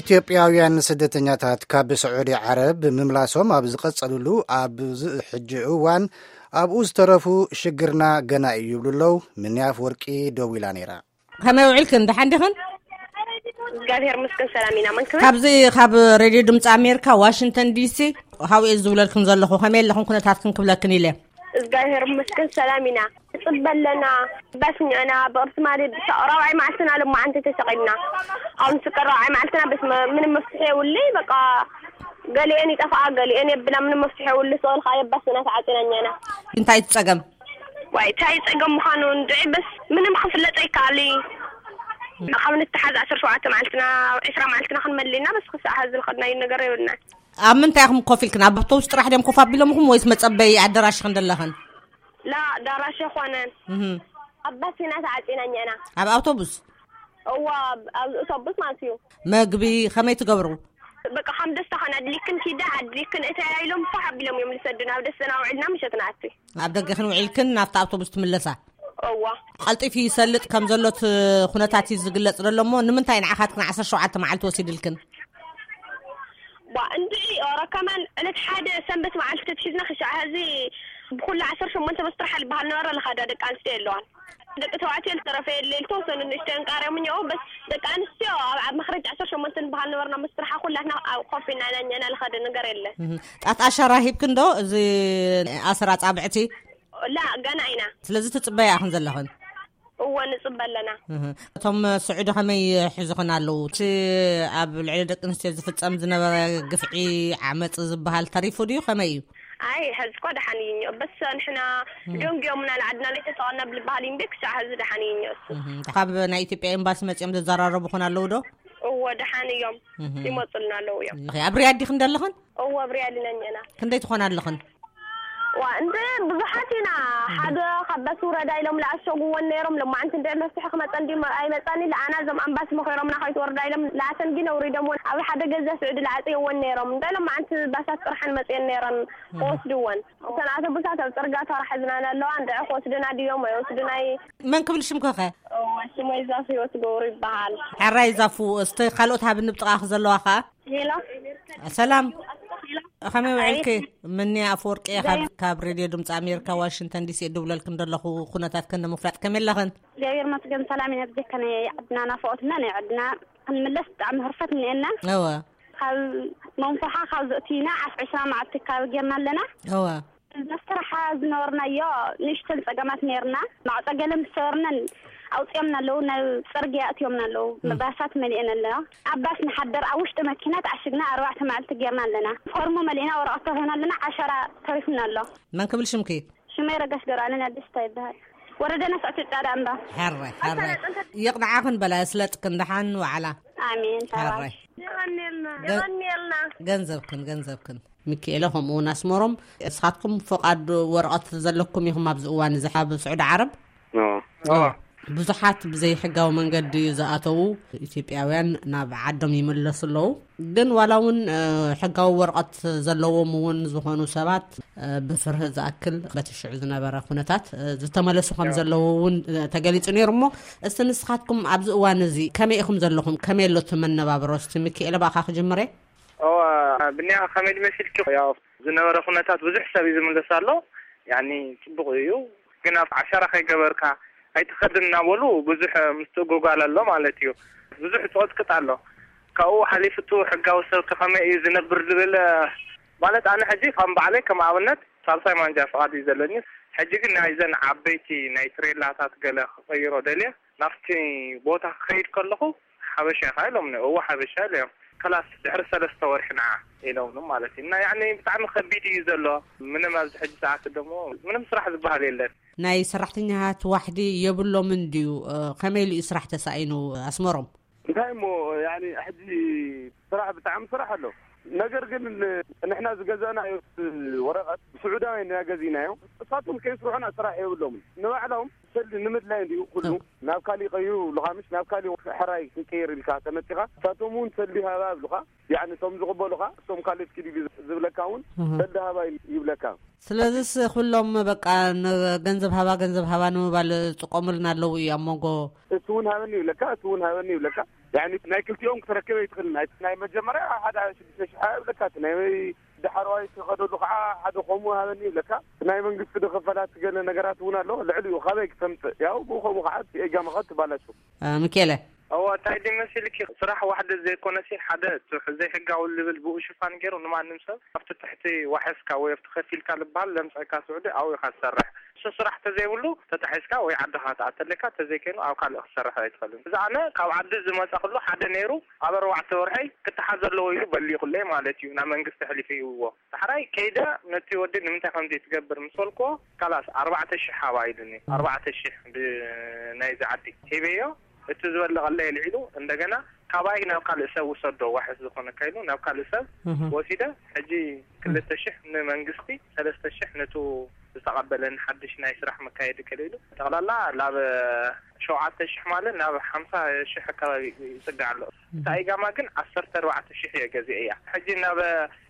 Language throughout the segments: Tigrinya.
ኢትዮጵያውያን ስደተኛታት ካብ ስዑዲ ዓረብ ብምምላሶም ኣብ ዝቐጸሉሉ ኣብዚ ሕጂ እዋን፣ ኣብኡ ዝተረፉ ሽግርና ገና እዩ ይብሉ ኣለዉ። ምንያፍ ወርቂ ደዊላ ነይራ። ከመይ ውዒልክን? ደሓን ዲኽን? እግዚኣብሔር ይመስገን ሰላም ኢና። መን ክብል? ካብዚ ካብ ሬድዮ ድምፂ ኣሜሪካ ዋሽንግተን ዲሲ፣ ካብኡ እየ ዝብለልክን ዘለኹ። ከመይ ኣለኽን? ኩነታትክን ክብለክን ኢለ። እግዚኣብሔር ይመስገን ሰላም ኢና። ንፅበ ኣለና። በስሚዕና ብቕርሲ ማለት ራብዓይ መዓልትና ልማዓንቲ ተሰቒልና። ኣብ ንስቀ ራብዓይ መዓልትና በስ መ-፣ ምንም መፍትሒ የብሉይ። በቃ ገሊኤን ይጠፍኣ፣ ገሊኤን የብላ። ምንም መፍትሒ የብሉ። ስቕል ከዓ የባስና ተዓፂና እኛና። እንታይ እቲ ጸገም? ዋይ፣ እንታይ ጸገም ምዃኑ እንድዒ፣ በስ ምንም ክፍለጥ ኣይከኣል እዩ። ካብ ንተሓዝ ዓሰርተ ሸውዓተ መዓልትና፣ ዒስራ መዓልትና ክንመልእና፣ በስ ክሳዕ ሐዚ ዝኸድናዮ ነገር የብልና። ኣብ ምንታይ ኢኹም ኮፍ ኢልክን? ኣብ ኣውቶቡስ ጥራሕ ድዮም ኮፍ ኣቢሎምኹም ወይስ መጸበዪ ኣደራሽ ኢኽን ዘለኽን? ላ፣ ኣዳራሽ ኣይኮነን። እህ። ኣብ ባስ ኢና ተዓጺና እኛና። ኣብ ኣውቶቡስ? እዋ፣ ኣብ፣ ኣብ ኣውቶቡስ ማለት እዩ። መግቢ ከመይ ትገብሩ? በቃ፣ ከም ደስታኽን ኣድሊክን ኪዳ፣ ኣድሊክን እተያ ኢሎም ፋሕ ኣቢሎም እዮም ዝሰዱና። ኣብ ደስተና ውዒልና ምሸት ንኣቲ። ኣብ ደገኽን ውዒልክን ናብታ ኣውቶቡስ ትምለሳ? እዋ። ቀልጢፉ ይሰልጥ ከም ዘሎ እቲ ኩነታት እዩ ዝግለጽ ዘሎ እሞ፣ ንምንታይ ንዓኻትክን ዓሰርተ ሸውዓተ መዓልቲ ወሲድልክን? ዋ፣ እንድዒ፣ ኦረ፣ ከማን ዕለት ሓደ ሰንበት መዓልቲ ተትሒዝና ክሻዕ ሐዚ ብኹሉ ዓሰርተ ሸሞንተ መስጥራሕ ዝበሃል ነበረ፣ ለኻዳ ደቂ ኣንስትዮ የለዋን። ደቂ ተባዕትዮ ዝተረፈ የለ፣ ዝተወሰኑ ንእሽተዮ እንቃርዮም እኒኦ፣ በስ ደቂ ኣንስትዮ ኣብ፣ ኣብ መኽረጅ ዓሰርተ ሸሞንተ ዝበሃል ነበርና መስጥርሓ፣ ኩላትና ኣብ ኮፍ ኢልና ኢና እኛና፣ ለኻደ ነገር የለ። እህ። ጣት ኣሻራ ሂብክን ዶ? እዚ ኣሰር ኣጻብዕቲ? ላ፣ ገና ኢና። ስለዚ ትጽበያ ኢኽን ዘለኽን? እወ፣ ንጽበ ኣለና። እህ። እቶም ስዑዲ ከመይ ሒዙኽን ኣለዉ? እቲ ኣብ ልዕሊ ደቂ ኣንስትዮ ዝፍጸም ዝነበረ ግፍዒ፣ ዓመጽ ዝበሃል ተሪፉ ድዩ? ከመይ እዩ? ኣይ፣ ሐዚ እኮ ደሓን እዩ እኒኦ። በስ ንሕና እህ። ደንጉዮምና፣ ንዓድና ለይተጠቐና ብልበሃል እዩ እምበር፣ ክሳዕ ሐዚ ደሓን እዩ እኒኦ እሱ። እህ። ካብ ናይ ኢትዮጵያ ኤምባሲ መጺኦም ዘዘራረቡኽን ኣለዉ ዶ? እወ፣ ደሓን እዮም። እህ። ይመጹልና ኣለዉ እዮም። እህ። ኣብ ሪያድ ዲኽን ዘለኽን? እወ፣ ኣብ ሪያድ ኢና እኒአና። ክንደይ ትኾና ኣለኽን? ዋ፣ እንደ ብዙሓት ኢና። እህ። ሓደ ካብ ባስ ውረዳ ኢሎም ለኣሸጉወን ነይሮም። ለማዓንቲ እንደ መፍትሒ ክመጸን ድዩ ኣይመጸን ኢለ፣ ኣና እዞም ኣምባሲ መኸሮምና ከይትወርዳ ኢሎም ለኣተን ግን ኣውሪዶምወን። ኣብ ሓደ ገዛ ስዑዲ ለዓጽየወን ነይሮም። እንደ ለማዓንቲ ባሳት ጥርሐን መጽየን ነይረን እህ። ክወስድወን። እተን ኣውቶቡሳት ኣብ ጽርጋ ተራ ሒዝናን ኣለዋ። እንደ ክወስድና ድዮም ኣይወስዱናይ። መን ክብል ሽምክኸ? እወ፣ ሽመይ ዛፉ ህይወት ገብሩ ይበሃል። ሕራይ ዛፉ፣ እስቲ ካልኦት ሃብኒ ብጥቓኺ ዘለዋ ኸኣ? ሄሎ። ሰላም። ሄሎ። ከመይ ውዒልኪ? ኣይ። ምኒ ኣፈወርቂ እየ ካብ፣ ካብ ሬድዮ ድምፂ ኣሜሪካ ዋሽንግተን ዲሲ እድውለልክን ዘለኹ። ኩነታትክን ንምፍላጥ ከመይ ኣለኽን? እግዚኣብሔር ይመስገን ሰላም ኢና። ብጀካ ናይ ዓድና ናፍቖትና ናይ ዓድና ክንምለስ ብጣዕሚ ህርፈት እኒአና። እወ። ካብ መንፈሓ ካብ ዘእትዩና ዓስ ዕስራ መዓልቲ ካብ ጌርና ኣለና። እወ። መስርሓ ዝነበርናዮ ንእሽተን ጸገማት ነይርና። ማዕጸ ገለ ምስ ሰበርናን ኣውጺኦምና ኣለዉ፣ ናብ ጽርግያ ኣእትዮምና ኣለዉ። ም። ባሳት መሊአን ኣለዋ። ኣብ ባስ ንሓደር፣ ኣብ ውሽጢ መኪና ተዓሽግና ኣርባዕተ መዓልቲ ጌርና ኣለና። ፎርሞ መሊእና ወረቐት ተዋሂብና ኣለና፣ ዓሸራ ተሪፉና ኣሎ። መን ክብል ሽምኪ? ሽመይ ረጋሽ ገብረኣለን ኣዲስታ ይበሃል። ወረዳና ሳዕቲ ጻዕዳ እምባ። ሕራይ፣ ሕራይ። ይቕንዓኽን በላ፣ ስለጥክን ደሓን ዋዕላ። ኣሜን፣ ተባረኽ። ሕራይ። የቐንየልና፣ ገ-፣ የቐንየልና። ገንዘብክን፣ ገንዘብክን። ሚኪኤለ፣ ከምኡ እውን ኣስመሮም፣ ንስኻትኩም ፍቓድ ወረቐት ዘለኩም ኢኹም ኣብዚ እዋን እዚ ኣብ ስዑዲ ዓረብ? ኖ። ኖ። ኖ። ብዙሓት ብዘይሕጋዊ መንገዲ ዝኣተዉ ኢትዮጵያውያን ናብ ዓዶም ይምለሱ ኣለዉ። ግን ዋላ እውን፣ እ፣ ሕጋዊ ወረቐት ዘለዎም እውን ዝኾኑ ሰባት፣ እ፣ ብፍርሂ ዝኣክል በቲ ሽዑ ዝነበረ ኩነታት፣ እ፣ ዝተመለሱ ከም ኖ። ዘለዉ እውን፣ እ፣ ተገሊጹ ነይሩ። እሞ እስቲ ንስኻትኩም ኣብዚ እዋን እዚ ከመይ ኢኹም ዘለኹም? ከመይ ኣሎ እቲ መነባብሮ? እስቲ ሚኪኤለ፣ ብኣኻ ክጅምር እየ። እዋ፣ ብንያ ከመይ ድመሲልኪ? ያው ዝነበረ ኩነታት ብዙሕ ሰብ እዩ ዝምለስ ኣሎ። ያኒ ጽቡቕ እዩ፣ ግን ኣብ ዓሻራ ከይገበርካ ኣይትኸድን እናበሉ ብዙሕ ምስትእጉጓል ኣሎ ማለት እዩ። ብዙሕ ጽቕጥቅጥ ኣሎ። ካብኡ ሓሊፉ እቲ ሕጋዊ ሰብ ከ ከመይ እዩ ዝነብር ዝብል፣ ማለት ኣነ ሕጂ ከም ባዕለይ ከም ኣብነት ሳልሳይ ማንጃ ፍቓድ እዩ ዘለኒ። ሕጂ ግን ናይዘን ዓበይቲ ናይ ትሬላታት ገለ ክቐይሮ ደልየ ናብቲ ቦታ ክኸይድ ከለኹ ሓበሻ ኢኻ ኢሎምኒ። እወ ሓበሻ ኢለ እዮም። ከላስ ድሕሪ ሰለስተ ወርሒ ንዓ ኢሎምኒ ማለት እዩ። እና ያኒ ብጣዕሚ ከቢድ እዩ ዘሎ። ምንም ኣብዚ ሕጂ ሰዓት ደሞ ምንም ስራሕ ዝበሃል የለን። ናይ ሰራሕተኛታት ዋሕዲ የብሎምን ድዩ? እ፣ ከመይ ኢሉ እዩ ስራሕ ተሳኢኑ ኣስመሮም? እንታይ እሞ ያኒ ሕጂ ስራሕ ብጣዕሚ ስራሕ ኣሎ። ነገር ግን ንሕና ዝገዛእናዮ ወረቐት ብስዑዳውያን ኢና ገዚእናዮ። እሳቶም ከይስርሑና ስራሕ የብሎምን። ንባዕሎም ሰልዲ ንምድላይ እንዲዩ ኩሉ። እ። ናብ ካሊእ ቀይሩ ይብሉኻ፣ ምሽ ናብ ካሊእ ሕራይ ክንቀይር ኢልካ ተመጺኻ፣ እሳቶም እውን ሰልዲ ሃባ ይብሉኻ። ያኒ እቶም ዝቕበሉኻ፣ እቶም ካልኦት ኪድ ኢሉ ዝብለካ እውን እህ። ሰልዲ ሃባ ይብለካ። ስለዚስ ኩሎም በቃ ንገንዘብ ሃባ፣ ገንዘብ ሃባ ንምባል ዝጥቀሙልና ኣለዉ እዩ ኣብ መንጎ። እቲ እውን ሃበኒ ይብለካ፣ እቲ እውን ሃበኒ ይብለካ። ያኒ ናይ ክልቲኦም ክትረክብ ኣይትኽእልን። ናይ፣ ናይ መጀመርያ ሓደ ሽዱሽተ ሽሕ ይብለካ፣ እቲ ናይ ዳሕረዋይ ትኸደሉ ከዓ ሓደ ከምኡ ሃበኒ ይብለካ። እቲ ናይ መንግስቲ ዶ ክፈላት ገለ ነገራት እውን ኣሎ። ልዕሊኡ ካበይ ክተምፅእ? ያው ብኡ ከምኡ ከዓ እቲ ኤጋ መኸት ትባላሹ። አ፣ ሚኬለ። እዋ፣ እንታይ ድመሲልኪ? ስራሕ ዋሕደ ዘይኮነሲ ሓደ እቲ ዘይሕጋዊ ዝብል ብኡ ሽፋን ገይሩ ንማንም ሰብ ኣብቲ ትሕቲ ዋሕስካ ወይ ኣብቲ ከፊልካ ዝበሃል ለምፀካ ስዑዲ ኣብኡ ኢኻ ትሰርሕ። እሱ ስራሕ ተዘይብሉ ተታሒዝካ ወይ ዓድኻ ትኣተለካ፣ ተዘይከይኑ ኣብ ካልእ ክትሰርሕ ኣይትኽእልን። እዚ ኣነ ካብ ዓዲ ዝመፃ ክሉ ሓደ ነይሩ ኣብ ኣርባዕተ ወርሐይ ክተሓዝ ዘለዎ ኢሉ በሊቑለይ ማለት እዩ። ናብ መንግስቲ ኣሕሊፉ ይህብዎ። ዳሕራይ ከይደ ነቲ ወዲ ንምንታይ ከምዚ ትገብር ምስ በልክዎ፣ ካላስ ኣርባዕተ ሽሕ ሃባ ኢሉኒ። ኣርባዕተ ሽሕ ብ-፣ ናይዚ ዓዲ ሂበዮ። እቲ ዝበለቐለይ ኣልዒሉ እንደገና ካባይ ናብ ካልእ ሰብ ውሰዶ፣ ዋሕስ ዝኾነካ ኢሉ ናብ ካልእ ሰብ እህ። ወሲደ። ሕጂ ክልተ ሽሕ ንመንግስቲ፣ ሰለስተ ሽሕ ነቱ ዝተቐበለኒ ሓድሽ ናይ ስራሕ መካየዲ ከለ ኢሉ፣ ጠቕላላ ናብ ሸውዓተ ሽሕ ማለት ናብ ሓምሳ ሽሕ ኣካባቢ ይጽጋዕ ኣሎ። እታ ኢጋማ ግን ዓሰርተ ኣርባዕተ ሽሕ እየ ገዚአ እያ። ሕጂ ናብ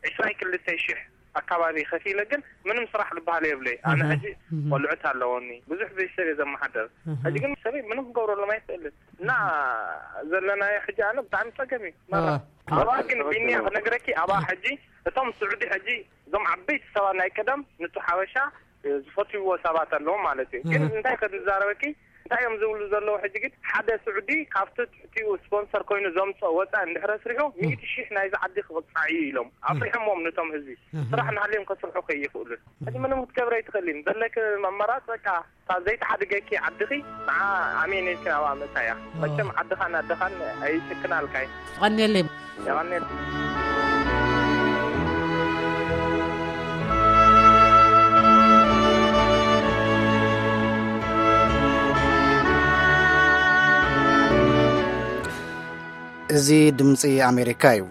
ዕስራን ክልተን ሽሕ ኣካባቢ ከፊለ ግን ምንም ስራሕ ዝበሃል የብለይ። ኣነ እህ። ሕጂ እህ። ቆልዑት ኣለወኒ፣ ብዙሕ ቤተሰብ እየ ዘመሓደር። እህ። ሕጂ ግን ሰበይ ምንም ክገብረሎም ኣይክእልን እና ዘለናዮ ሕጂ ኣነ ብጣዕሚ ጸገም እዩ። መራ። ኣዋ። ኣባ ግን ቢንያ ክነግረኪ፣ ኣባ ሕጂ እቶም ስዑዲ ሕጂ እዞም ዓበይቲ ሰባት ናይ ቀደም ንቱ ሓበሻ ዝፈትውዎ ሰባት ኣለዎም ማለት እዩ። ግን እህ። እንታይ ከዝዛረበኪ፣ እንታይ እዮም ዝብሉ ዘለዉ? ሕጂ ግን ሓደ ስዑዲ ካብቲ ትሕቲኡ ስፖንሰር ኮይኑ ዘምፅኦ ወፃኢ እንድሕረ ስሪሑ፣ ሚእቲ ሺሕ ናይዚ ዓዲ ክቕፃዕ እዩ ኢሎም ኣፍሪሖሞም ነቶም ህዝቢ። እህ። ስራሕ እናሃልዮም ከስርሑ ከይኽእሉን። ሕጂ ምንም ክትገብረ ኣይትኽእልን። ዘለኪ ኣማራፂ በቃ እታ ዘይተሓድገኪ ዓድኺ ንዓ ኣሜን ኢልኪ ናብኣ ምእታያ። መቸም ዓድኻን ኣደኻን ኣይስክናልካይ። ትቐንየለይ። የቐንየል። እዚ ድምፂ ኣሜሪካ እዩ።